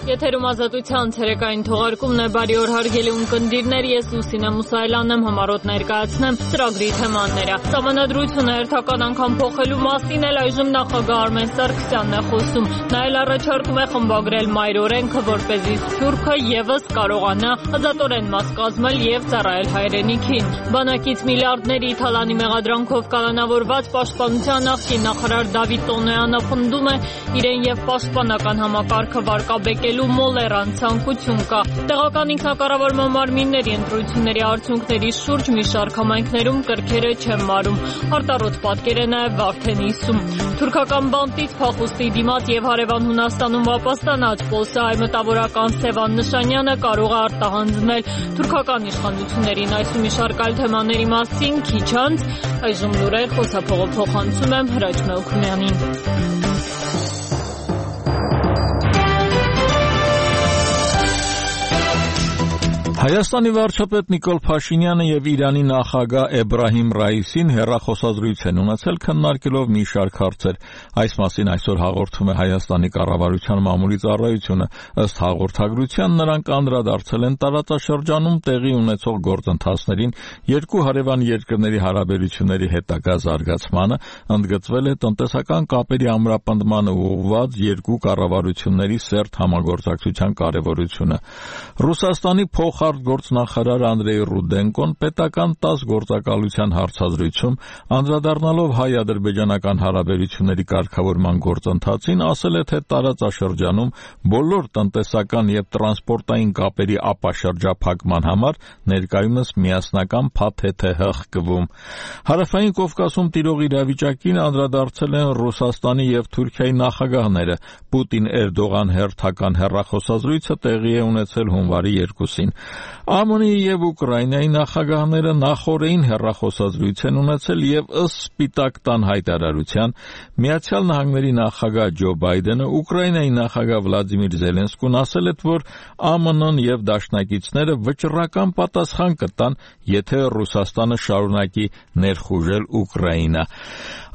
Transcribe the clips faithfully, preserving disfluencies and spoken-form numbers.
Եթերում ազատության ցերեկային թողարկումն է, բարի օր հարգելի ունկնդիրներ, ես Լուսինե Մուսայելյանն եմ, համառոտ ներկայացնեմ ծրագրի թեմաները։ Սահմանադրությունը հերթական անգամ փոխելու մասին էլ այժմ նախագահ Արմեն Սարգսյանն է խոսում։ Նա էլ առաջարկում է խմբագրել մայր օրենքը, որպեսզի Սփյուռքը ևս կարողանա ազատորեն մաս կազմել եւ ծառայել հայրենիքին։ Բանակից միլիարդների թալանի մեղադրանքով կալանավորված պաշտպանության նախկին նախարար Դավիթ Տոնոյանը պնդում է իրեն եւ պաշտպանական համակարգը վարկաբեկել մոլերան ցանկություն կա։ Տեղական ինքնակառավարման մարմինների ընտրությունների արդյունքների շուրջ մի շարք համայնքներում կրքերը չեն մարում։ Արտառոց պատկեր է նաև Վարդենիսում։ Թուրքական բանտից փախուստի դիմաց եւ հարևան Հունաստանում ապաստանած Պոլսայի մտավորական Սևան Նշանյանը կարող է արտահանձնել թուրքական իշխանություններին։ Այս ու մի շարք այլ թեմաների մասին քիչ անց այժմ լուրեր խոսափողը փոխանցում եմ Հրաչ Մելքումյանին։ Հայաստանի վարչապետ Նիկոլ Փաշինյանը եւ Իրանի նախագահ Էբրահիմ Ռայիսին հեռախոսազրույց են ունեցել, քննարկելով մի շարք հարցեր։ Այս մասին այսօր հաղորդում է Հայաստանի կառավարության մամուլի ծառայությունը։ Ըստ հաղորդագրության նրանք անդրադարձել են տարածաշրջանում տեղի ունեցող գործընթացներին, երկու հարևան երկրների հարաբերությունների հետագա զարգացմանը, ընդգծվել է տնտեսական կապերի ամրապնդմանը ուղղված երկու կառավարությունների սերտ համագործակցության կարևորությունը։ Ռուսաստանի փոխ Գործնախարար Անդրեյ Ռուդենկոն պետական տաս գործակալության հարցազրույցում անդրադառնալով հայ-ադրբեջանական հարաբերությունների կարգավորման գործընթացին ասել է, թե տարածաշրջանում բոլոր տնտեսական եւ տրանսպորտային կապերի ապաշրջափակման համար ներկայումս միասնական փաթեթ է հղկվում։ Հարավային Կովկասում տիրող իրավիճակին անդրադարձել են Ռուսաստանի եւ Թուրքիայի նախագահները։ Պուտին-Էրդողան հերթական հեռախոսազրույցը տեղի է ունեցել հունվարի երկուսին։ ԱՄՆ-ի եւ Ուկրաինայի նախագահները նախօրեին հեռախոսազրույց են ունեցել եւ ըստ Սպիտակ տան հայտարարության Միացյալ Նահանգների նախագահ Ջո Բայդենը Ուկրաինայի նախագահ Վլադիմիր Զելենսկուն ասել է, որ ԱՄՆ-ն եւ դաշնակիցները վճռական պատասխան կտան, եթե Ռուսաստանը շարունակի ներխուժել Ուկրաինա։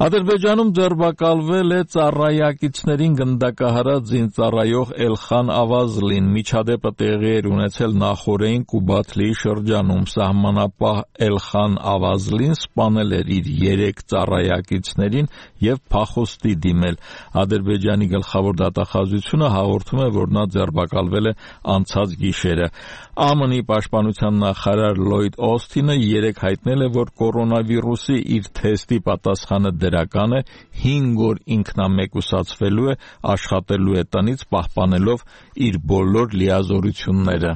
Ադրբեջանում ձերբակալվել է ծառայակիցներին գնդակահարած զինծառայող Էլխան Ավազլին։ Միջադեպը տեղի էր ունեցել նախօրեին Կուբաթլիի շրջանում։ Սահմանապահ Էլխան Ավազլին սպանել էր իր երեք ծառայակիցներին եւ փախուստի դիմել։ Ադրբեջանի գլխավոր դատախազությունը հաղորդում է, որ նա ձերբակալվել է անցած գիշերը։ ԱՄՆ-ի պաշտպանության նախարար Լլոյդ Օսթինը երեկ հայտնել է, որ կորոնավիրուսի իր թեստի պատասխանը դրական է, հինգ օր ինքնամեկուսացվելու է, աշխատելու է տնից, պահպանելով իր բոլոր լիազորությունները։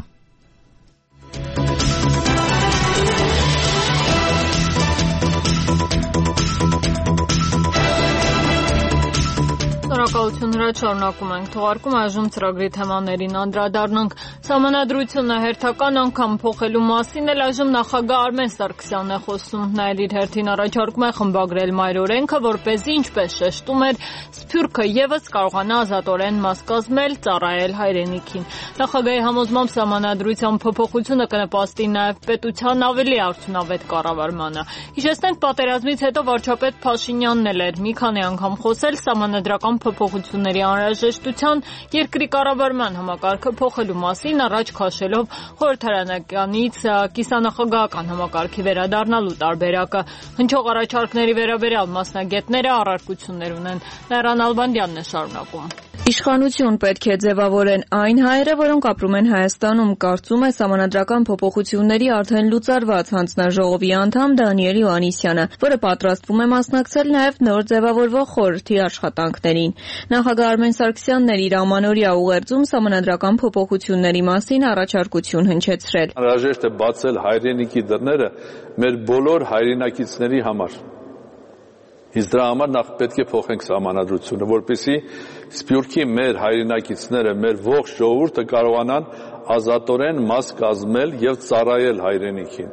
Շնորհակալություն Հրաչ, շարունակում ենք թողարկում, այժմ ծրագրի թեմաներին անդրադառնանք։ Սահմանադրությունը հերթական անգամ փոխելու մասին էլ այժմ նախագահ Արմեն Սարգսյանն է խոսում։ Նա էլ իր հերթին առաջարկում է խմբագրել մայր օրենքը, որպեսզի, ինչպես շեշտում էր, Սփյուռքը ևս կարողանա ազատորեն մաս կազմել, ծառայել հայրենիքին։ Նախագահի համոզմամբ սահմանադրության փոփոխությունը կնպաստի նաև պետության ավելի արդյունավետ կառավարմանը։ Հիշեցնենք, պատերազմից հետո վարչապետ Փաշինյանն էլ էր մի քանի անգամ խոսել սահմանադրական փոփոխությունների անհրաժեշտության, երկրի կառավարման համակարգը փոխելու մասին, առաջ քաշելով խորհրդարանականից կիսանախագահական համակարգի վերադառնալու տարբերակը։ Հնչող առաջարկների վերաբերյալ մասնագետները առարկություններ ունեն։ Լեռան Ալբանդյանն է շարունակում։ Իշխանություն պետք է ձևավորեն այն հայերը, որոնք ապրում են Հայաստանում, կարծում է սահմանադրական փոփոխությունների արդեն լուծարված հանձնաժողովի անդամ Դանիել Հովհաննիսյանը, որը պատրաստվում է մասնակցել նաև նոր ձևավորվող խորհրդի աշխատանքներին։ Նախագահ Արմեն Սարգսյանն էր իր ամանորյա ուղերձում սահմանադրական փոփոխությունների մասին առաջարկություն հնչեցրել։ Անհրաժեշտ է բացել հայրենիքի դռները մեր բոլոր հայրենակիցների համար։ Իսկ դրա համար նախ պետք է փոխենք սահմանադրությունը, որպեսզի Սփյուռքի մեր հայրենակիցները, մեր ողջ ժողովուրդը կարողանան ազատորեն մաս կազմել եւ ծառայել հայրենիքին։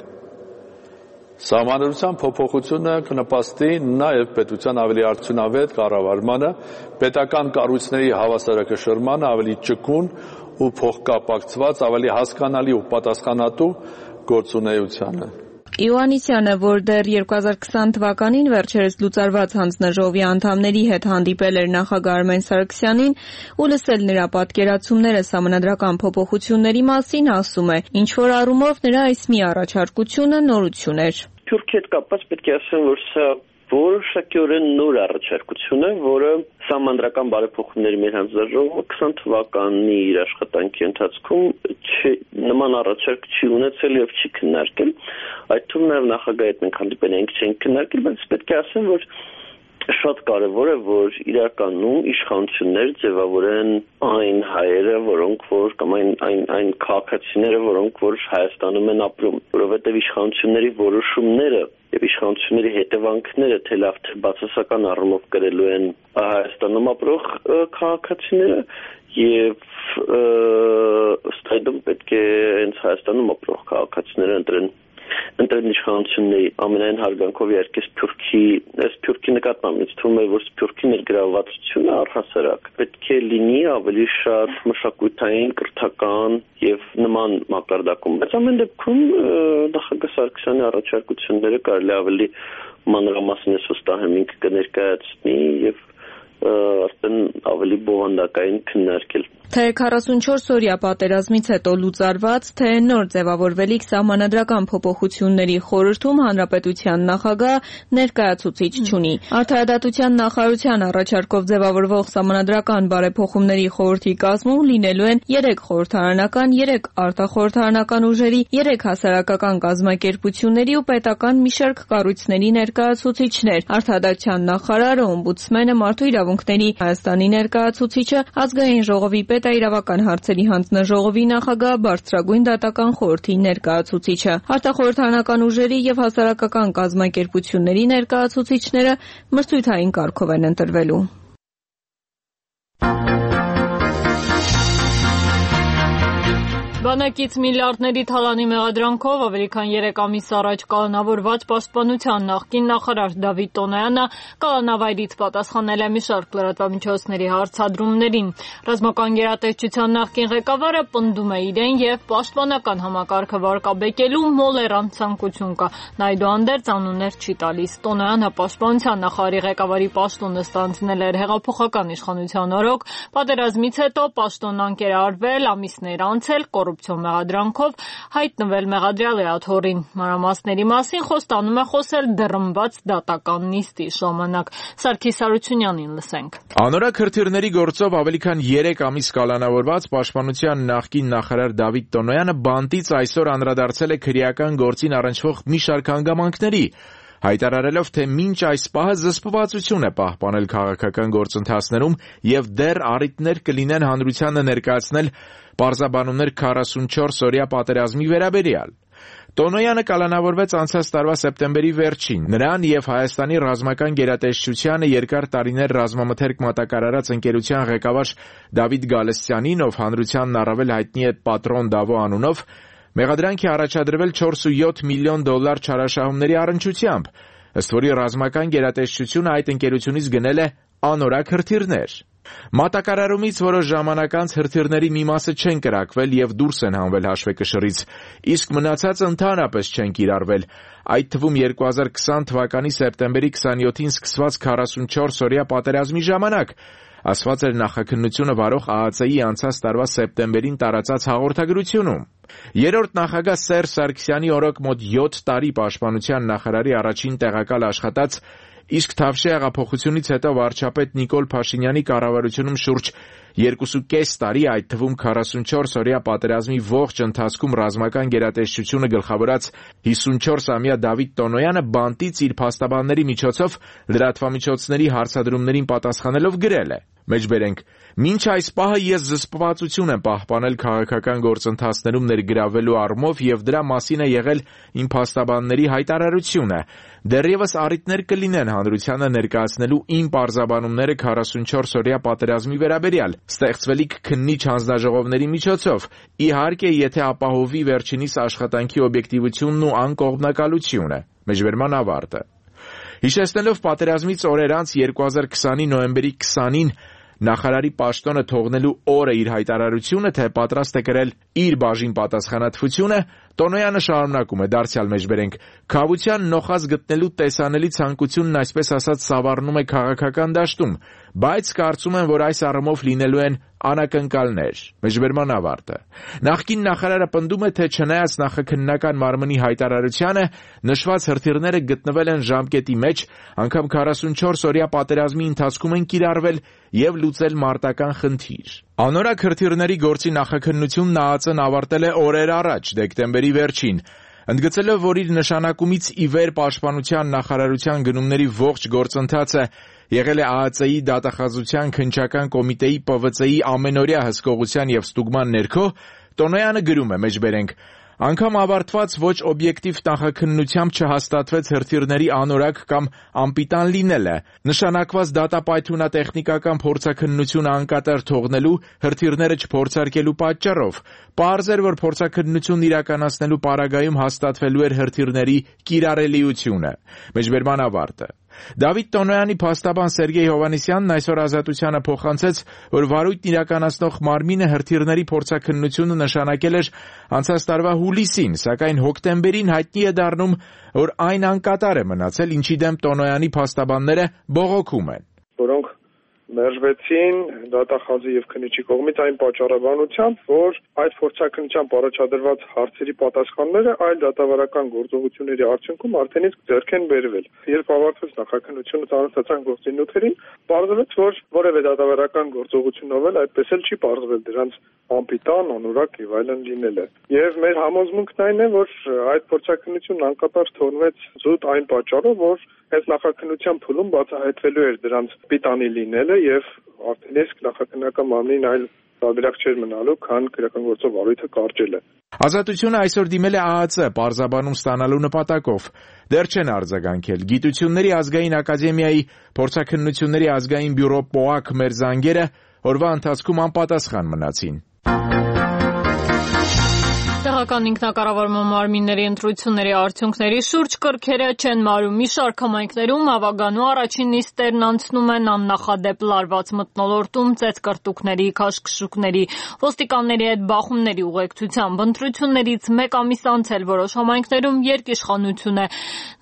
Սահմանադրության փոփոխությունը կնպաստի նաեւ պետության ավելի արդյունավետ կառավարմանը, պետական կառույցների հավասարակշռմանը, ավելի ճկուն ու փոխկապակցված, ավելի հասկանալի ու պատասխանատու գործունեությանը։ Իոաննիսյանը, որ դեռ երկու հազար քսան թվականին վերջերս լուծարված հանձնաժողովի անդամների հետ հանդիպել էր նախագահ Արմեն Սարգսյանին ու լսել նրա պատկերացումները սահմանադրական փոփոխությունների մասին, ասում է, ինչ-որ առումով նրա այս մի առաջարկությունը նորություն էր։ Թուրքիայի հետ կապված պետք է ասեմ, որ սա որոշակիորեն նոր առաջարկություն է, որը սահմանադրական բարեփոխումների մեր հանձնաժողովը քսան թվականի իր աշխատանքի ընթացքում նման առաջարկ չի ունեցել եւ չի քննարկել։ Այդ թվում նաեւ նախագահի հետ մենք հանդիպել ենք, չենք քննարկել, բայց պետք է ասեմ, որ շատ կարևոր է, որ իրականում իշխանություններ ձևավորեն այն հայերը, որոնք որ կամ այն այն այն քաղաքացիները, որոնք որ Հայաստանում են ապրում, որովհետև իշխանությունների որոշումները եւ իշխանությունների հետևանքները թե լավ թե բացասական առումով կրելու են Հայաստանում ապրող քաղաքացիները եւ ըստ այդմ պետք է հենց Հայաստանում ապրող քաղաքացիները ընտրեն ընտրեն իշխանությունների ամենայն հարգանքով իհարկե Սփյուռքի այս Սփյուռքի նկատմամբ ինձ թվում է որ Սփյուռքի ներգրավվածությունը առհասարակ պետք է լինի ավելի շատ մշակութային, կրթական եւ նման մակարդակում, բայց ամեն դեպքում նախագահ Սարգսյանի առաջարկությունները կարելի ավելի մանրամասն վստահ եմ կներկայացնի եւ արդեն ավելի բովանդակային քննարկել։ Թե քառասունչորս օրյա պատերազմից հետո լուծարված, թե նոր ձևավորվելիք սահմանադրական փոփոխությունների խորհրդում հանրապետության նախագահ ներկայացուցիչ չունի։ Արդարադատության նախարարության առաջարկով ձևավորվող սահմանադրական բարեփոխումների խորհրդի կազմում լինելու են երեք խորհրդարանական, երեք արտախորհրդարանական ուժերի, երեք հասարակական կազմակերպությունների ու պետական մի շարք կառույցների ներկայացուցիչներ։ Արդարադատության նախարարը, օմբուդսմենը, Մարդու իրավունքների Հայաստանի ներկայացուցիչը, ազգային ժողովի պետաիրավական հարցերի հանձնաժողովի նախագահ, բարձրագույն դատական խորհրդի ներկայացուցիչը, արտախորհրդարանական ուժերի եւ հասարակական կազմակերպությունների ներկայացուցիչները մրցույթային կարգով են ընտրվելու։ Բանակից միլիարդների թալանի մեղադրանքով ավելի քան երեք ամիս առաջ կալանավորված պաշտպանության նախկին նախարար Դավիթ Տոնոյանը կալանավայրից պատասխանել է մի շարք լրատվամիջոցների հարցադրումներին։ Ռազմական գերատեսչության նախկին ղեկավարը պնդում է իրեն եւ պաշտպանական համակարգը վարկաբեկելու մոլերան ցանկություն կա։ Նա այդուհանդերձ անուններ չի տալիս։ Տոնոյանը պաշտպանության նախարարի ղեկավարի պաշտոնը ստանձնել էր հեղափոխական իշխանության օրոք, պատերազմից հետո պաշտոնն անկերարվել, ամիսներ անցել, մեղադրանքով հայտնվել մեղադրյալի աթոռին։ Մանրամասների մասին խոստանում է խոսել դռնված դատական նիստի ժամանակ։ Սարգիս Հարությունյանին լսենք։ Անորակ հրթիռների գործով ավելի քան երեք ամիս կալանավորված պաշտպանության նախկին նախարար Դավիթ Տոնոյանը բանտից այսօր անդրադարձել է քրեական գործին առնչվող մի շարք հանգամանքների, հայտարարելով, թե մինչ այս պահը զսպվածություն է պահպանել քաղաքական գործընթացներում եւ դեռ առիթներ կլինեն հանրությանը ներկայացնել պարզաբանումներ քառասունչորս օրյա պատերազմի վերաբերյալ։ Տոնոյանը կալանավորվեց անցած տարվա սեպտեմբերի վերջին։ Նրան եւ Հայաստանի ռազմական գերատեսչությանը երկար տարիներ ռազմամթերք մատակարարած ընկերության ղեկավար Դավիթ Գալստյանին, ով հանրությանն առավել հայտնի է Պատրոն Դավո անունով, մեղադրանք է առաջադրվել չորս կόμμα յոթ միլիոն դոլար չարաշահումների առնչությամբ, ըստ որի ռազմական գերատեսչությունը այդ ընկերությունից գնել է անորակ հրթիռներ։ Մատակարարումից որոշ ժամանակ անց հրթիռների մի մասը չեն կրակվել եւ դուրս են հանվել հաշվեկշռից, իսկ մնացածը ընդհանրապես չեն կիրառվել։ Այդ թվում երկու հազար քսան թվականի սեպտեմբերի քսանյոթին սկսված քառասունչորս օրյա պատերազմի ժամանակ, ասված էր նախաքննությունը վարող ԱԱՑ-ի անցած տարվա սեպտեմբերին տարածած հաղորդագրությունում։ Երրորդ նախագահ Սերժ Սարգսյանի օրոք մոտ յոթ տարի պաշտպանության նախարարի առաջին տեղակալ աշխատած, իսկ Թավշյա հեղափոխությունից հետո վարչապետ Նիկոլ Փաշինյանի կառավարությունում շուրջ երկուսուկես տարի, այդ թվում քառասունչորս օրյա պատերազմի ողջ ընթացքում ռազմական գերատեսչությունը գլխավորած հիսունչորսամյա Դավիթ Տոնոյանը բանտից իր փաստաբանների միջոցով լրատվամիջոցների հարցադրումներին պատասխանելով գրել է. Մեջբերենք, մինչ այս պահը ես զսպվածություն եմ պահպանել քաղաքական գործընթացներում ներգրավվելու առումով եւ դրա մասին է եղել իմ փաստաբանների հայտարարությունը։ Դեռևս առիթներ կլինեն հանրությանը ներկայացնելու իմ պարզաբանումները քառասունչորս օրյա պատերազմի վերաբերյալ, ստեղծվելիք քննիչ հանձնաժողովների միջոցով, իհարկե եթե ապահովի վերջինիս աշխատանքի օբյեկտիվությունն ու անկողմնակալությունը։ Մեջբերման ավարտը։ Հիշեցնելով պատերազմից օրեր անց երկու հազար քսանի նոյեմբերի քսանին նախարարի պաշտոնը թողնելու օրը իր հայտարարությունը, թե պատրաստ է կրել իր բաժին պատասխանատվությունը, Տոնոյանը շարունակում է դարձյալ մեջբերենք. «Քավության նոխազ գտնելու տեսանելի ցանկությունն այսպես ասած սավառնում է քաղաքական դաշտում, բայց կարծում եմ, որ այս առումով լինելու են անակնկալներ»։ Մեջբերման ավարտը։ Նախկին նախարարը պնդում է, թե չնայած նախաքննական մարմնի հայտարարությանը, նշված հրթիռները գտնվել են ժամկետի մեջ, անգամ քառասունչորս օրյա պատերազմի ընթացքում են կիրառվել եւ լուծել մարտական խնդիր։ Անորակ հրթիռների գործի նախաքննությունն ԱԱԾ-ն ավարտել է օրեր առաջ, դեկտեմբերի վերջին, ընդգծելով, որ իր նշանակումից ի վեր պաշտպանության նախարարության գնումների ողջ գործընթացը եղել է ԱԱԾ-ի դատախազության քննչական կոմիտեի Պ V C-ի ամենօրյա հսկողության եւ ստուգման ներքո, Տոնոյանը գրում է մեջբերենք. «Անգամ ավարտված ոչ օբյեկտիվ նախաքննությամբ չհաստատվեց հրթիռների անորակ կամ անպիտան լինելը, նշանակված դատապայթունատեխնիկական փորձաքննությունը անկատար թողնելու, հրթիռները չփորձարկելու պատճառով, պարզ էր, որ փորձաքննությունն իրականացնելու պարագայում հաստատվելու էր հրթիռների կիրառելիությունը»։ Մեջբերման ավարտը։ Դավիթ Տոնոյանի փաստաբան Սերգեյ Հովհաննիսյանն այսօր Ազատությանը փոխանցեց, որ վարույթն իրականացնող մարմինը հրթիռների փորձաքննությունը նշանակել էր անցած տարվա հուլիսին, սակայն հոկտեմբերին հայտնի է դառնում, որ այն անկատար է մնացել, ինչի դեմ Տոնոյանի փաստաբանները բողոքում են։ Որոնք մերժվեցին դատախազի եւ քննիչի կողմից այն պատճառաբանությամբ, որ այդ փորձաքննությամբ առաջադրված հարցերի պատասխանները այլ դատավարական գործողությունների արդյունքում արդեն իսկ ձեռք են բերվել։ Երբ ավարտվեց նախաքննությունը ծանոթացան գործի նյութերին, պարզվեց, որ որևէ դատավարական գործողությունով էլ այդպես էլ չի պարզվել դրանց անպիտան, անորակ եւ այլն լինելը։ Եվ մեր համոզմունքն այն է, որ այդ փորձաքննությունն անկատար թողնվեց զուտ այն պատճառով, որ այս նախաքննության փուլում բացահայտվելու էր դրանց պիտանի լինելը եւ արդեն իսկ նախաքննական մարմնին այլ տարբերակ չէր մնալու, քան քրեական գործով վարույթը կարճելը։ Ազատությունը այսօր դիմել է ԱԱԾ պարզաբանում ստանալու նպատակով։ Դեռ չեն արձագանքել։ Գիտությունների ազգային ակադեմիայի փորձաքննությունների ազգային բյուրո ՊՕԱԿ մեր զանգերը օրվա ընթացքում անպատասխան մնացին։ Տեղական ինքնակառավարման մարմինների ընտրությունների արդյունքների շուրջ կրքերը չեն մարում։ Մի շարք համայնքներում ավագանու առաջին նիստերն անցնում են աննախադեպ լարված մթնոլորտում, ծեծկրտուկների, քաշքշուկների, ոստիկանների հետ բախումների ուղեկցությամբ։ Ընտրություններից մեկ ամիս անց էլ որոշ համայնքներում երկիշխանություն է։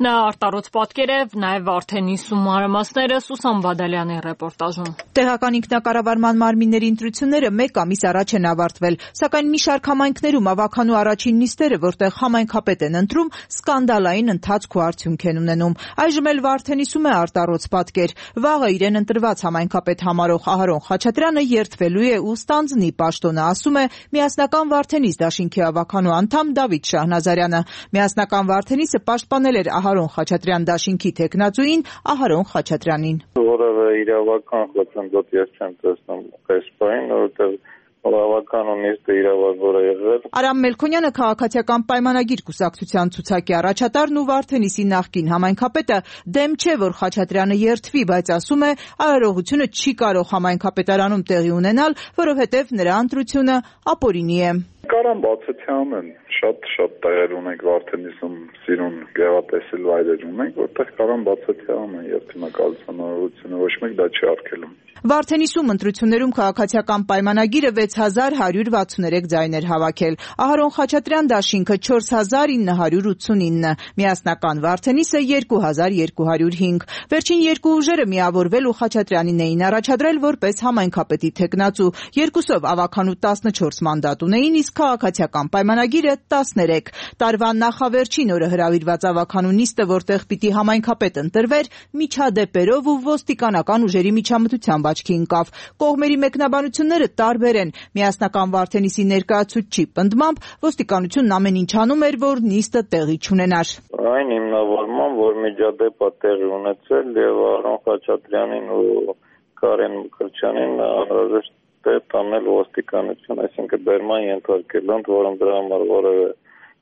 Նա արտառոց պատկեր է, նաև Վարդենիսու մանրամասները Սուսան Բադալյանի ռեպորտաժում։ Տեղական ինքնակառավարման մարմինների ընտրությունները մեկ ամիս առաջ են ավարտվել, սակայն մի շարք համայնքներում ավագանու առաջին նիստերը, որտեղ համայնքապետ են ընտրում, սկանդալային ընթացք ու արդյունք են ունենում։ Այժմ էլ Վարդենիսում է արտառոց պատկեր։ Վաղը իրեն ընտրված համայնքապետ համարող Ահարոն Խաչատրյանը երդվելու է ու ստանձնի պաշտոնը, ասում է Միասնական Վարդենիս դաշինքի ավագանու անդամ Դավիթ Շահնազարյանը։ Միասնական Վարդենիսը պաշտպանել էր Ահարոն Խաչատրյան դաշինքի թեկնածուին Ահարոն Խաչատրյանին։ Որևէ իրավական խոչընդոտ ես չեմ տեսնում այս բանին, որովհետև Ավականու նիստը իրավաբար է եղել։ Արամ Մելքոնյանը քաղաքացիական պայմանագիր կուսակցության ցուցակի առաջատարն ու Վարդենիսի նախկին համայնքապետը դեմ չէ, որ Խաչատրյանը երդվի, բայց ասում է արարողությունը չի կարող համայնքապետարանում տեղի ունենալ, որովհետև նրա ընտրությունը ապօրինի է։ Կարան բացության են, շատ-շատ տեղեր ունենք Վարդենիսում, սիրուն գեղատեսիլ վայրեր ունենք, որտեղ կարան բացության են երթմնակալության արարողությունը, ոչ մեկ դա չի արգելում։ Վարդենիսում ընտրություններում քաղաքացիական պայմանագիրը վեց հազար հարյուր վաթսուներեք ձայն էր հավաքել։ Ահարոն Խաչատրյան դաշինքը չորս հազար ինը հարյուր ութսունինը, Միասնական Վարդենիսը երկու հազար երկու հարյուր հինգ։ Վերջին երկու ուժերը միավորվել ու Խաչատրյանին էին առաջադրել որպես համայնքապետի թեկնածու։ Երկուսով ավագանու տասնչորս մանդատ ունեին, իսկ քաղաքացիական պայմանագիրը տասներեք։ Տարվա նախավերջին օրը հրավիրված ավագանու նիստը, որտեղ պիտի համայնքապետ ընտրվեր, միջադեպերով ու ոստիկանական ուժերի միջամտությամբ աչքի ընկավ։ Կողմերի մեկնաբանությունները տարբեր են։ Միասնական Վարդենիսի ներկայացուցչի պնդմամբ ոստիկանությունն ամեն ինչ անում էր, որ նիստը տեղի չունենար։ Այն հիմնավորման, որ միջադեպը տեղի ունեցել եւ Ահարոն Խաչատրյանին ու Կարեն Մկրտչյանին անհրաժեշտ է տանել ոստիկանություն, այսինքն բերման ենթարկել, ընդ որում դրա համար որևէ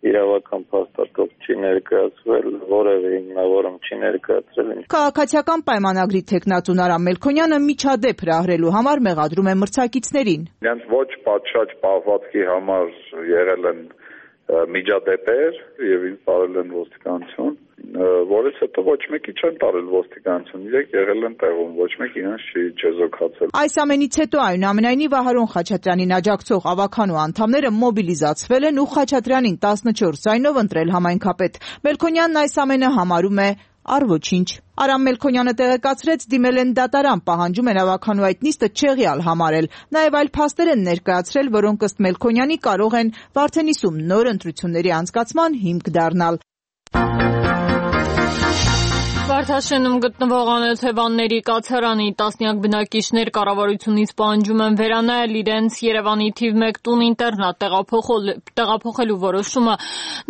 իրավական փաստաթող չի ներկայացվել, որևէ հիմնավորում չի ներկայացրել։ Քաղաքացիական պայմանագրի թեկնածուն Արամ Մելքոնյանը միջադեպ հրահրելու համար մեղադրում է մրցակիցներին։ Իրենց ոչ պատշաճ պահվածքի համար եղել են միջադեպեր եւ ինձ տարել են ոստիկանություն որից հետո ոչ մեկի չեն տարել ոստիկանություն, իրենք եղել են տեղում, ոչ մեկ իրենց չի չեզոքացել։ Այս ամենից հետո այնուամենայնիվ Ահարոն Խաչատրյանին աջակցող ավականու անդամները մոբիլիզացվել են ու Խաչատրյանին տասնչորս ձայնով ընտրել համայնքապետ։ Մելքոնյանն այս ամենը համարում է առ ոչինչ։ Արամ Մելքոնյանը տեղեկացրեց, դիմել են դատարան, պահանջում են ավականու այդ նիստը չեղյալ համարել։ Նաև այլ փաստեր են ներկայացրել, որոնք ըստ Մելքոնյանի կարող են Վարդենիսում նոր ընտրությունների անցկացման հիմք դառնալ։ Վարդաշենում գտնվող անօթևանների կացարանի տասնյակ բնակիչներ կառավարությունից պահանջում են վերանայել իրենց Երևանի թիվ մեկ տուն-ինտերնատ տեղափոխելու որոշումը։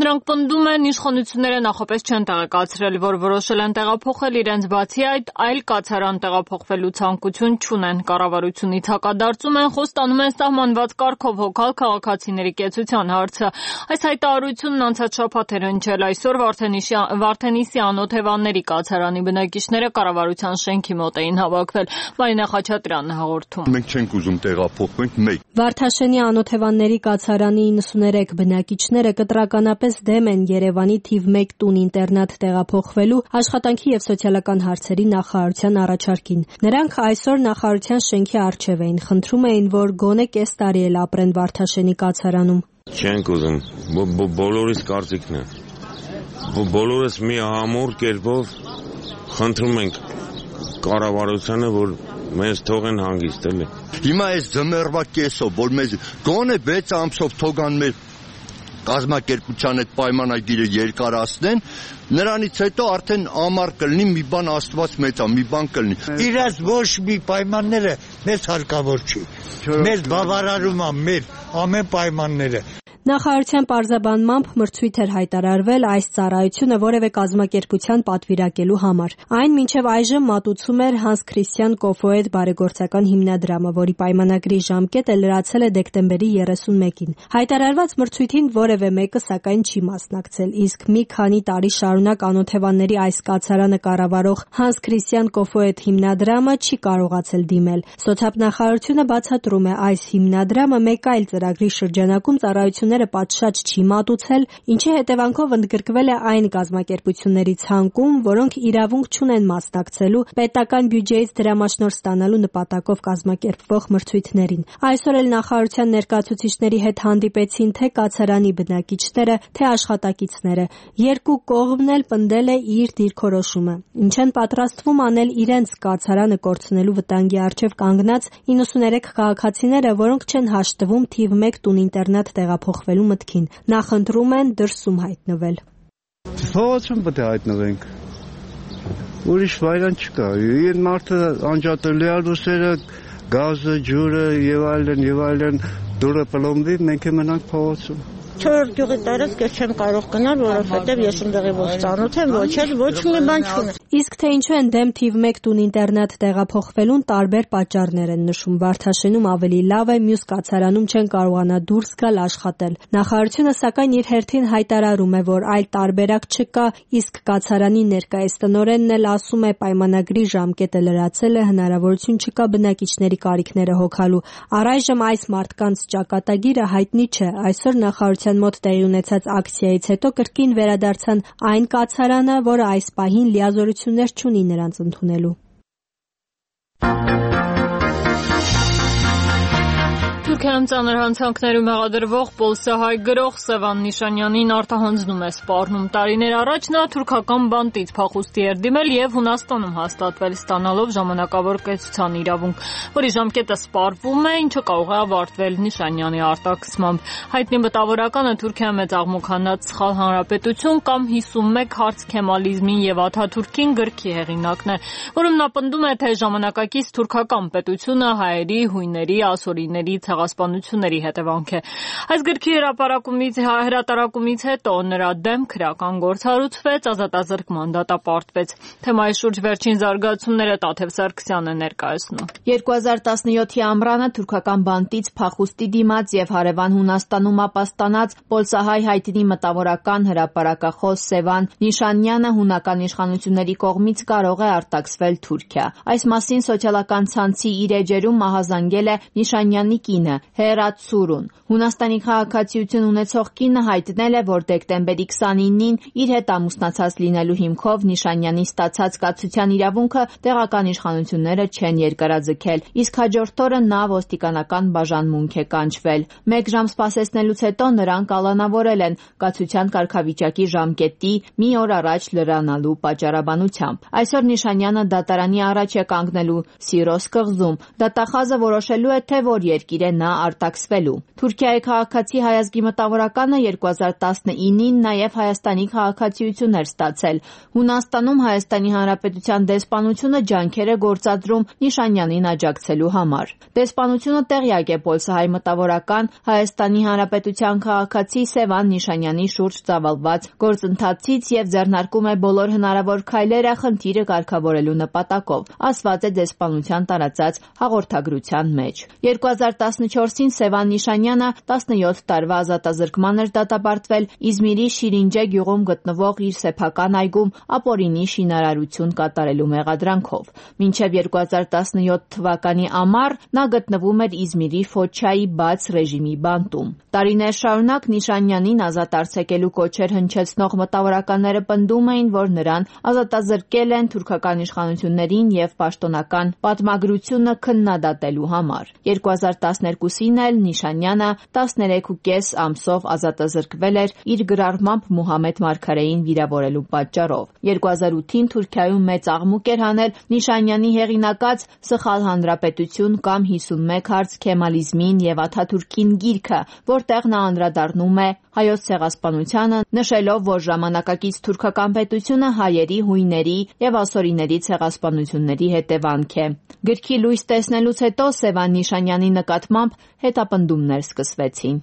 Նրանք պնդում են, իշխանությունները նախապես չեն տեղեկացրել, որ որոշել են տեղափոխել իրենց, բացի այդ, այլ կացարան տեղափոխվելու ցանկություն չունեն։ Կառավարությունից հակադարձում են, խոստանում են սահմանված կարգով հոգալ քաղաքացիների կեցության հարցը։ Այս հայտարարությունն անցած շաբաթ էր հնչել, այսօր Վարդենիսի անօթևանների կացարանի բնակիչները կառավարության շենքի մոտ էին հավաքվել։ Մարինա Խաչատրյանն հաղորդում։ Մենք չենք ուզում տեղափոխվենք մեկ։ Վարդաշենի անօթևանների կացարանի իննսուներեք բնակիչները կտրականապես դեմ են Երևանի թիվ մեկ տուն-ինտերնատ տեղափոխվելու աշխատանքի եւ սոցիալական հարցերի նախարարության առաջարկին։ Նրանք այսօր նախարարության շենքի առջև էին, խնդրում էին, որ գոնե կես տարի էլ ապրեն Վարդաշենի կացարանում։ Չենք ուզում, բոլորիս կարծիքն է։ Բոլորս մի ամուր կերպով խնդրում ենք կառավարությանը, որ մեզ թողեն հանգիստ էլի։ Հիմա այս ձմեռվա կեսով, որ մեզ գոնե վեց ամսով թողան մեր կազմակերպության այդ պայմանագիրը երկարացնեն, նրանից հետո արդեն ամառ կլինի, մի բան Աստված մեծ է, մի բան կլինի։ Իրաց ոչ մի պայմանները մեզ հարկավոր չի։ Մեզ բավարարում է մեր ամեն պայմանները։ Նախարարության պարզաբանմամբ մրցույթ էր հայտարարվել այս ծառայությունը որևէ կազմակերպության պատվիրակելու համար։ Այն մինչև այժմ մատուցում էր Հանս Քրիստիան Կոֆոետ բարեգործական հիմնադրամը, որի պայմանագրի ժամկետը լրացել է դեկտեմբերի երեսունմեկին։ Հայտարարված մրցույթին որևէ մեկը սակայն չի մասնակցել, իսկ մի քանի տարի շարունակ անօթևանների այս կացարանը կառավարող Հանս Քրիստիան Կոֆոետ հիմնադրամը չի կարողացել դիմել։ Սոցիալնախարարությունը բացատրում է, այս հիմնադրամը մեկ այլ ծրագրի շրջանակում ծառայություն պատշաճ չի մատուցել, ինչի հետևանքով ընդգրկվել է այն կազմակերպությունների ցանկում, որոնք իրավունք չունեն մասնակցելու պետական բյուջեից դրամաշնորհ ստանալու նպատակով կազմակերպվող մրցույթներին։ Այսօր էլ նախարարության ներկայացուցիչների հետ հանդիպեցին թե կացարանի բնակիչները, թե աշխատակիցները։ Երկու կողմն էլ պնդել է իր դիրքորոշումը, ինչ են պատրաստվում անել իրենց կացարանը կորցնելու վտանգի առջև կանգնած իննսուներեք քաղաքացիները, որոնք չեն հաշտվում թիվ մեկ տուն-ինտերնատ տեղափոխվելու մտքին։ Նախընտրում են դրսում հայտնվել։ Փողոցում պետք է հայտնվենք։ Ուրիշ վայրան չկա։ Այն մարդը անջատելի է լուսերը, գազը, ջուրը եւ այլն եւ այլն դուրը պլոմբի, մենք մնանք փողոցում։ Չորրորդ գյուղի տարածք ես չեմ կարող գնալ, որովհետև ես ընդեղի ոչ ծանոթ եմ, ոչ էլ ոչ մի բան չունեմ։ Իսկ թե ինչու են դեմ թիվ մեկ տուն-ինտերնատ տեղափոխվելուն տարբեր պատճառներ են նշում։ Վարդաշենում ավելի լավ է, մյուս կացարանում չեն կարողանա դուրս գալ աշխատել։ Նախարարությունը սակայն իր հերթին հայտարարում է, որ այլ տարբերակ չկա, իսկ կացարանի ներկայիս տնօրենն էլ ասում է, պայմանագրի ժամկետը լրացել է, հնարավորություն չկա բնակիչների կարիքները հոգալու։ Առայժմ այս մարդկանց ճակատագիրը հայտնի չէ։ Այսօր նախարարության մոտ տեղի ունեցած ակցիայից հետո կրկին վերադարձան այն կացարանը, որը այս պահին լիազորություններ չունի նրանց ընդունելու։ Թուրքիայում ծանր հանցանքներում հեղադրվող պոլսահայ գրող Սևան Նիշանյանին արտահանձնում է սպառնում։ Տարիներ առաջ նա թուրքական բանտից փախուստի էր դիմել եւ Հունաստանում հաստատվել, ստանալով ժամանակավոր կեցության իրավունք, որի ժամկետը սպառվում է, ինչը կարող է ավարտվել Նիշանյանի արտաքսմամբ։ Հայտնի մտավորականը Թուրքիայի մեծ աղմուկանած սխալ հանրապետություն կամ հիսունմեկ հարց Քեմալիզմին եւ Աթաթուրքին գրքի հեղինակն է, որում նա պնդում է, թե ժամանակակից թուրքական պետությունը հայերի, հույների, ասորիների ցեղասպանությունների հետևանք է։ Այս գրքի հրապարակումից հրատարակումից հետո նրա դեմ քրեական գործ հարուցվեց, ազատազրկման դատապարտվեց։ Թեմայի շուրջ վերջին զարգացումները Տաթև Սարգսյանը ներկայացնում։ երկու հազար տասնյոթի ամռանը թուրքական բանտից փախուստի դիմաց եւ հարևան Հունաստանում ապաստանած պոլսահայ հայտնի մտավորական հրապարակախոս Սևան Նիշանյանը հունական իշխանությունների կողմից կարող է արտաքսվել Թուրքիա։ Այս մասին սոցիալական ցանցի իր էջերում մահազանգել է Նիշանյանի կինը, Հերացուրուն։ Հունաստանի քաղաքացիություն ունեցող կինը հայտնել է, որ դեկտեմբերի քսանինին իր հետ ամուսնացած լինելու հիմքով Նիշանյանի ստացած կացության իրավունքը տեղական իշխանությունները չեն երկարաձգել, իսկ հաջորդ օրը նա ոստիկանական բաժանմունք է կանչվել։ Մեկ ժամ սպասեցնելուց հետո նրան կալանավորել են կացության կարգավիճակի ժամկետի մի օր առաջ լրանալու պատճառաբանությամբ։ Այսօր Նիշանյանը դատարանի առաջ է կանգնելու Սիրոս կղզում։ Դատախազը որոշելու է, թե որ երկիր է նա արտաքսվելու։ Թուրքիայի քաղաքացի հայազգի մտավորականը երկու հազար տասնինին նաև Հայաստանի քաղաքացիություն էր ստացել։ Հունաստանում Հայաստանի Հանրապետության դեսպանությունը ջանքեր է գործադրում Նիշանյանին աջակցելու համար։ Դեսպանությունը տեղյակ է պոլսահայ մտավորական Հայաստանի Հանրապետության քաղաքացի Սևան Նիշանյանի շուրջ ծավալված գործընթացից եւ ձեռնարկում է բոլոր հնարավոր քայլերը խնդիրը կարգավորելու նպատակով, ասված է դեսպանության տարածած հաղորդագրության մեջ։ երկու հազար տասնչորսին Սևան Նիշանյանը տասնյոթ տարվա ազատազրկման էր դատապարտվել Իզմիրի Շիրինջե գյուղում գտնվող իր սեփական այգում ապօրինի շինարարություն կատարելու մեղադրանքով։ Մինչև երկու հազար տասնյոթ թվականի ամառ նա գտնվում էր Իզմիրի Ֆոչայի բաց ռեժիմի բանտում։ Տարիներ շարունակ Նիշանյանին ազատ արձակելու կոչեր հնչեցնող մտավորականները պնդում էին, որ նրան ազատազրկել են թուրքական իշխանություններին եւ պաշտոնական պատմագրությունը քննադատելու համար։ երկու հազար տասներկուսին էլ Նիշանյանը տասներեքուկես ամսով ազատազրկվել էր իր գրառմամբ Մուհամեդ Մարգարեին վիրավորելու պատճառով։ երկու հազար ութին Թուրքիայում մեծ աղմուկ էր հանել Նիշանյանի հեղինակած Սխալ հանրապետություն կամ հիսունմեկ հարց Քեմալիզմին եւ Աթաթուրքին գիրքը, որտեղ նա անդրադառնում է հայոց ցեղասպանությանը, նշելով, որ ժամանակակից թուրքական պետությունը հայերի, հույների եւ ասորիների ցեղասպանությունների հետևանք է։ Գրքի լույս տեսնելուց հետո Սևան Նիշանյանի նկատմամբ հետապնդումներ սկսվեցին։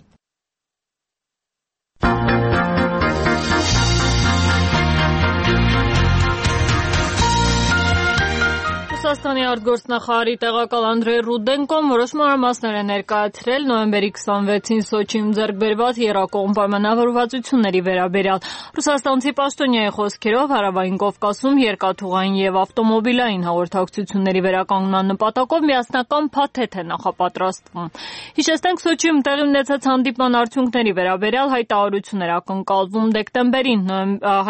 Ռուսաստանի արտգործնախարարի տեղակալ Անդրեյ Ռուդենկոն որոշ մանրամասներ է ներկայացրել նոյեմբերի քսանվեցին Սոչիում ձեռք բերված եռակողմ պայմանավորվածությունների վերաբերյալ։ Ռուսաստանցի պաշտոնյայի խոսքերով Հարավային Կովկասում երկաթուղային եւ ավտոմոբիլային հաղորդակցությունների վերականգնման նպատակով միասնական փաթեթ է նախապատրաստվում։ Հիշեցնենք, Սոչիում տեղի ունեցած հանդիպման արդյունքների վերաբերյալ հայտարարություն էր ակնկալվում դեկտեմբերին։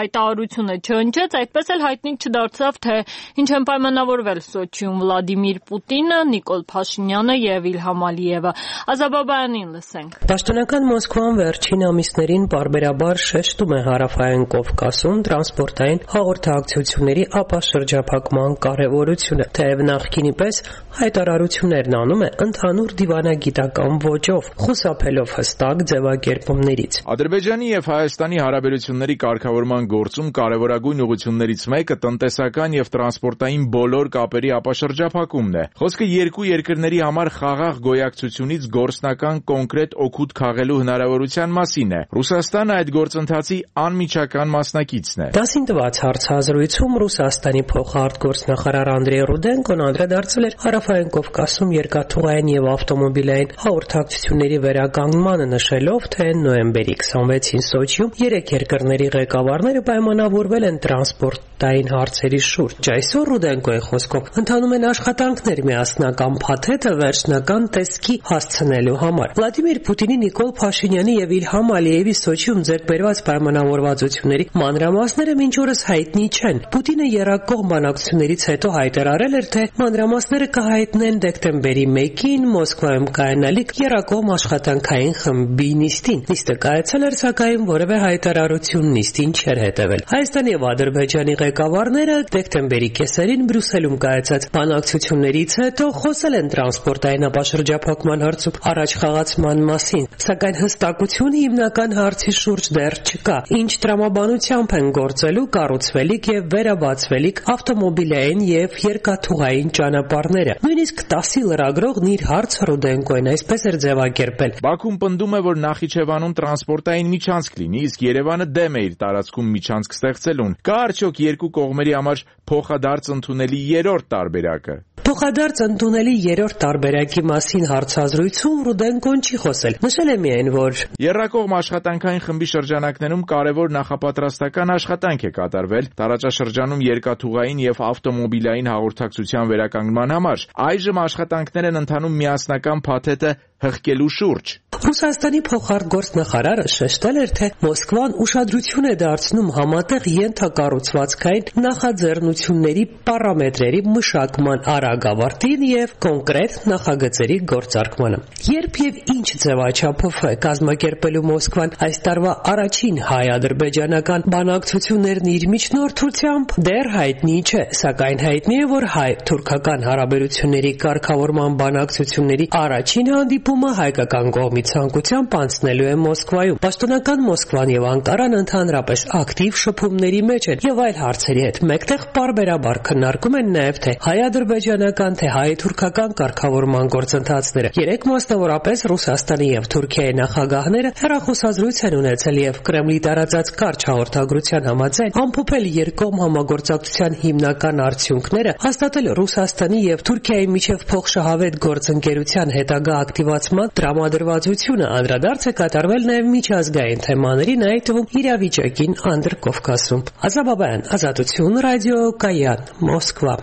Հայտարարությունը չհնչեց, այդպես էլ հայտնի չդարձավ, թե ինչ են պայմանավորվել Սոչիում Վլադիմիր Պուտինը, Նիկոլ Փաշինյանը եւ Իլհամ Ալիևը։ Ազաբաբայանին լսենք։ Պաշտոնական Մոսկվան վերջին ամիսներին պարբերաբար շեշտում է Հարավային Կովկասում տրանսպորտային հաղորդակցությունների ապաշրջափակման կարևորությունը, թեև նախկինի պես հայտարարություններն անում է ընդհանուր դիվանագիտական ոճով, խուսափելով հստակ ձևակերպումներից։ Ադրբեջանի եւ Հայաստանի հարաբերությունների կարգավորման գործում կարևորագույն ուղղություններից մեկը տնտեսական եւ տրանսպորտային բոլոր կապերի ապաշրջափակումն է։ Խոսքը երկու երկրների համար խաղաղ գոյակցությունից գործնական կոնկրետ օգուտ քաղելու հնարավորության մասին է։ Ռուսաստանը այդ գործընթացի անմիջական մասնակիցն է։ Դասին տված հարցազրույցում Ռուսաստանի փոխարտգործնախարար Անդրեյ Ռուդենկոն անդրադարձել էր Հարավային Կովկասում երկաթուղային եւ ավտոմոբիլային հաղորդակցությունների վերականգնմանը, նշելով, թե նոյեմբերի քսանվեցին Սոչիում երեք երկրների ղեկավարները պայմանավորվել են տրանսպորտային հարցերի շուրջ։ Այսօր Ռուդենկոյի խոսքով ընթանում են աշխատանքներ միասնական փաթեթը վերջնական տեսքի հասցնելու համար։ Վլադիմիր Պուտինի, Նիկոլ Փաշինյանի եւ Իլհամ Ալիևի Սոչիում ձեռք բերված պայմանավորվածությունների մանրամասները մինչ օրս հայտնի չեն։ Պուտինը եռակողմ բանակցություններից հետո հայտարարել էր, թե մանրամասները կհայտնեն դեկտեմբերի մեկին Մոսկվայում կայանալիք եռակողմ աշխատանքային խմբի նիստին։ Նիստը կայացել էր, սակայն որևէ հայտարարություն նիստին չէր հետևել։ Հայաստանի եւ Ադրբեջանի ղեկավարները դեկտեմբերի կեսերին Բրյուսելում կայացած բանակցություններից հետո խոսել են տրանսպորտային ապաշրջափակման հարցում առաջ խաղացման մասին, սակայն հստակություն հիմնական հարցի շուրջ դեռ չկա։ Ինչ տրամաբանությամբ են գործելու կառուցվելիք եւ վերաբացվելիք ավտոմոբիլային եւ երկաթուղային ճանապարհները։ Նույնիսկ տասի լրագրողն իր հարցը Ռուդենկոին այսպես էր ձևակերպել. Բաքուն պնդում է, որ Նախիջևանում տրանսպորտային միջանցք լինի, իսկ Երևանը դեմ է իր տարածքում միջանցք ստեղծելուն։ Կա արդյոք երկու կողմերի համար փոխադարձ ընդունելի երրորդ տարբերակը։ Փոխադարձ ընդունելի երրորդ տարբերակի մասին հարցազրույցում Ռուդենկոն չի խոսել։ Նշել է միայն, որ Եռակողմ աշխատանքային խմբի շրջանակներում կարևոր նախապատրաստական աշխատանք է կատարվել տարածաշրջանում երկաթուղային եւ ավտոմոբիլային հաղորդակցության վերականգնման համար։ Այժմ աշխատանքներ են ընթանում միասնական փաթեթը հղկելու շուրջ։ Ռուսաստանի փոխարտգործնախարարը շեշտել էր, թե Մոսկվան ուշադրություն է դարձնում համատեղ ենթակառուցվածքային նախաձեռնությունների պարամետրերի մշակման արագ ավարտին եւ կոնկրետ նախագծերի գործարկմանը։ Երբ եւ ինչ ձևաչափով է կազմակերպելու Մոսկվան այս տարվա առաջին հայ-ադրբեջանական բանակցություններն իր միջնորդությամբ, դեռ հայտնի չէ, սակայն հայտնի է, որ հայ-թուրքական հարաբերությունների կարգավորման բանակցությունների առաջին հանդիպումը հայկական կողմի ցանկությամբ անցնելու է Մոսկվայում։ Պաշտոնական Մոսկվան եւ Անկարան ընդհանրապես ակտիվ շփումների մեջ են եւ այլ հարցերի հետ մեկտեղ պարբերաբար քննարկում են նաեւ թե հայ-ադրբեջանական, թե հայ-թուրքական կարգավորման գործընթացները։ Երեք մասնավորապես Ռուսաստանի եւ Թուրքիայի նախագահները հեռախոսազրույց են ունեցել եւ Կրեմլի տարածած կարճ հաղորդագրության համաձայն ամփոփել երկկողմ համագործակցության հիմնական արդյունքները, հաստատել Ռուսաստանի եւ Թուրքիայի միջև փոխշահավետ գործընկերության հետագա ակտիվացման տրամադրվածությունը, անդրադարձ է կատարվել նաեւ միջազգային թեմաներին, այդ թվում իրավիճակին Անդրկովկասում։ Ազատ Բաբայան, Ազատություն, ռադիո Կայան, Մոսկվա։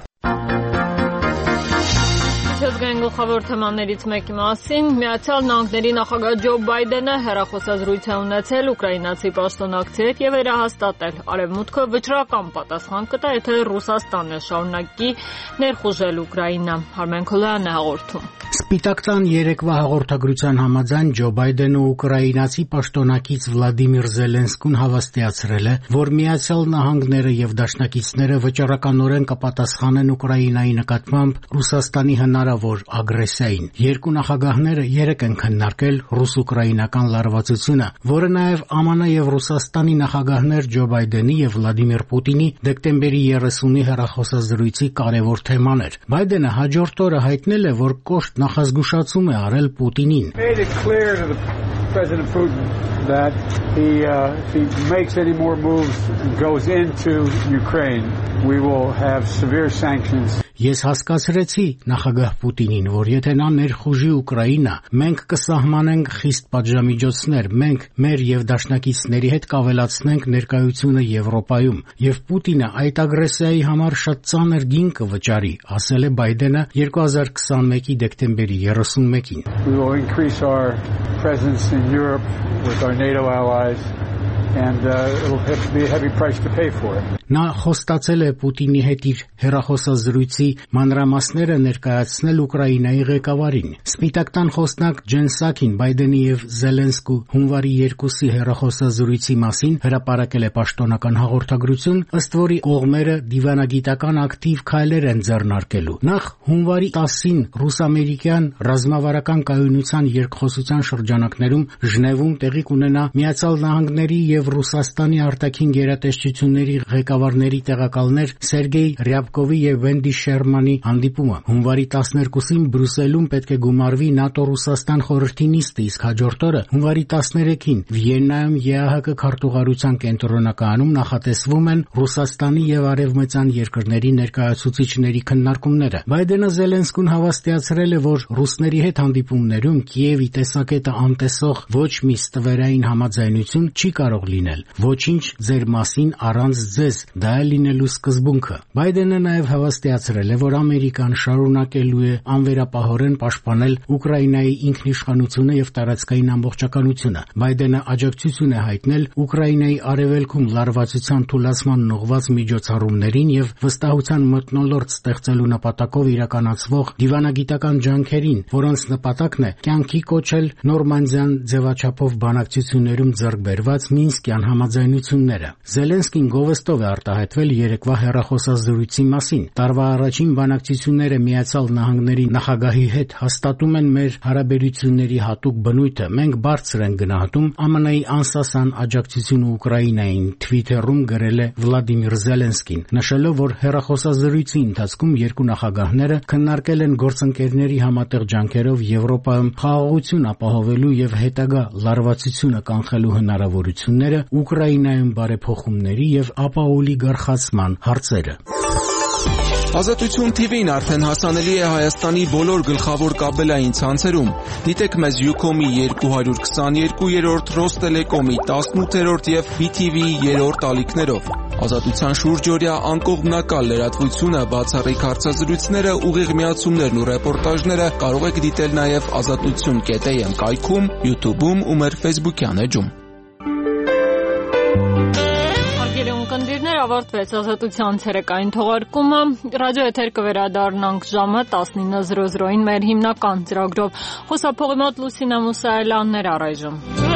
Միջազգային գլխավոր թեմաներից մեկի մասին Միացյալ Նահանգների նախագահ Ջո Բայդենը հեռախոսազրույց է ունեցել ուկրաինացի պաշտոնակցի հետ եւ վերահաստատել Արևմուտքը վճռական պատասխան կտա, եթե Ռուսաստանը շարունակի ներխուժել Ուկրաինա։ Արմեն Քոլյանն է հաղորդում։ Սպիտակ տան երեկվա հաղորդագրության համաձայն Ջո Բայդենը ուկրաինացի պաշտոնակից Վլադիմիր Զելենսկուն հավաստիացրել է, որ Միացյալ Նահանգները եւ դաշնակիցները վճռականորեն կպատասխանեն Ուկրաինայի նկատմամբ Ռուսաստանի հնարավոր ագրեսիային։ Երկու նախագահները երեկ են քննարկել ռուս-ուկրաինական լարվածությունը, որը նաեւ Ա Մ Ն եւ Ռուսաստանի նախագահներ Ջո Բայդենի եւ Վլադիմիր Պուտինի դեկտեմբերի երեսունի հեռախոսազրույցի կարևոր թեման էր։ Բայդենը հաջորդ օրը հայտնել է, որ կոշտ նախազգուշացում է արել Պուտինին։ President Putin that he, uh, if he makes any more moves and goes into Ukraine, we will have severe sanctions. Ես հասկացրեցի նախագահ Պուտինին, որ եթե նա ներխուժի Ուկրաինա, մենք կսահմանենք խիստ պատժամիջոցներ, մենք մեր եւ դաշնակիցների հետ կավելացնենք ներկայությունը Եվրոպայում, եւ Պուտինը այդ ագրեսիայի համար շատ ծանր գին կվճարի, ասել է Բայդենը երկու հազար քսանմեկի դեկտեմբերի երեսունմեկին։ We will increase our presence in Europe with our NATO allies. And uh, it will have to be a heavy price to pay for it. Նա խոստացել է Պուտինի հետ իր հեռախոսազրույցի մանրամասները ներկայացնել Ուկրաինայի ղեկավարին։ Սպիտակ տան խոսնակ Ջեն Սաքին Բայդենի եւ Զելենսկու հունվարի երկուսի հեռախոսազրույցի մասին հրապարակել է պաշտոնական հաղորդագրություն, ըստ որի կողմերը դիվանագիտական ակտիվ քայլեր են ձեռնարկելու։ Նախ հունվարի տասին ռուս-ամերիկյան ռազմավարական կայունության երկխոսության շրջանակներում Ժնևում տեղի կունենա Միացյալ Նահանգների եւ Ռուսաստանի արտաքին գերատեսչությունների ղեկավարների տեղակալներ Սերգեյ Ռյաբկովի եւ Վենդի Շերմանի հանդիպումը։ Հունվարի տասներկուսին Բրյուսելում պետք է գումարվի ՆԱՏՕ-Ռուսաստան խորհրդի նիստը, իսկ հաջորդ օրը հունվարի տասներեքին Վիեննայում Է Ա Հ Կ քարտուղարության կենտրոնակայանում նախատեսվում են Ռուսաստանի եւ արևմտյան երկրների ներկայացուցիչների քննարկումները։ Բայդենը Զելենսկուն հավաստիացրել է, որ ռուսների հետ հանդիպումներում Կիևի տեսակետը անտեսող ոչ մի ստվերային համաձայնություն չի կարող լինել։ Ոչինչ ձեր մասին առանց ձեզ, դա է լինելու սկզբունքը։ Բայդենը նաև հավաստիացրել է, որ Ամերիկան շարունակելու է անվերապահորեն պաշտպանել Ուկրաինայի ինքնիշխանությունը եւ տարածքային ամբողջականությունը։ Բայդենը աջակցություն է հայտնել Ուկրաինայի արևելքում լարվածության թուլացման ուղղված միջոցառումներին եւ վստահության մթնոլորտ ստեղծելու նպատակով իրականացվող դիվանագիտական ջանքերին, որոնց նպատակն է կյանքի կոչել նորմանդիան ձևաչափով բանակցություններում ձեռք բերված Մինսկյան համաձայնությունները։ Զելենսկին գովեստով է արտահայտվել երեկվա հեռախոսազրույցի մասին։ Տարվա առաջին բանակցությունները Միացյալ Նահանգների նախագահի հետ հաստատում են մեր հարաբերությունների հատուկ բնույթը։ Մենք բարձր ենք գնահատում Ա Մ Ն-ի անսասան աջակցությունը Ուկրաինային, Թվիթերում գրել է Վլադիմիր Զելենսկին, նշելով, որ հեռախոսազրույցի ընթացքում երկու նախագահները քննարկել են գործընկերների համատեղ ջանքերով Եվրոպայում խաղաղություն ապահովելու եւ հետագա լարվածությունը կանխելու հնարավորությունները, Ուկրաինայում բարեփոխումների եւ ապաոլիգարխացման հարցերը։ Ազատություն թի վին արդեն հասանելի է Հայաստանի բոլոր գլխավոր կաբելային ցանցերում։ Դիտեք մեզ Ucom-ի երկու հարյուր քսաներկուերորդ, Ռոստելեկոմի տասնութերորդ եւ բի թի վի-ի երրորդ ալիքներով։ Ազատության շուրջօրյա անկողմնակալ լրատվությունը, բացառիկ հարցազրույցները, ուղիղ միացումներն ու ռեպորտաժները կարող եք դիտել նաեւ ազատություն կետ էյ էմ կայքում, YouTube-ում ու մեր Facebook-յան էջում։ Կնդիրներ ավարտվեց ազատության ցերեկային թողարկումը, ռադիո եթեր կվերադառնանք ժամը տասնինը զրո զրոին մեր հիմնական ծրագրով։ Խոսափողի մոտ Լուսինա Մուսայելյանն էր առայժմ։